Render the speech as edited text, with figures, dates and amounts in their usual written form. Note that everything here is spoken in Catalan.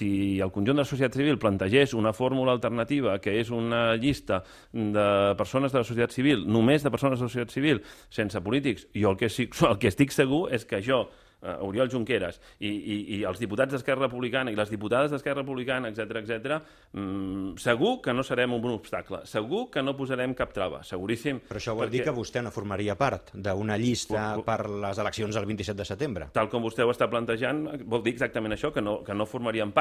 si el conjunt de la societat civil plantegés una fórmula alternativa, que és una llista de persones de la societat civil, només de persones de la societat civil, sense polítics, jo el que estic segur és que jo, Oriol Junqueras, i els diputats d'Esquerra Republicana i les diputades d'Esquerra Republicana, etc., segur que no serem un obstacle, segur que no posarem cap trava, seguríssim. Però això vol dir que vostè no formaria part d'una llista per les eleccions del 27 de setembre. Tal com vostè ho està plantejant, vol dir exactament això, que no formaríem part,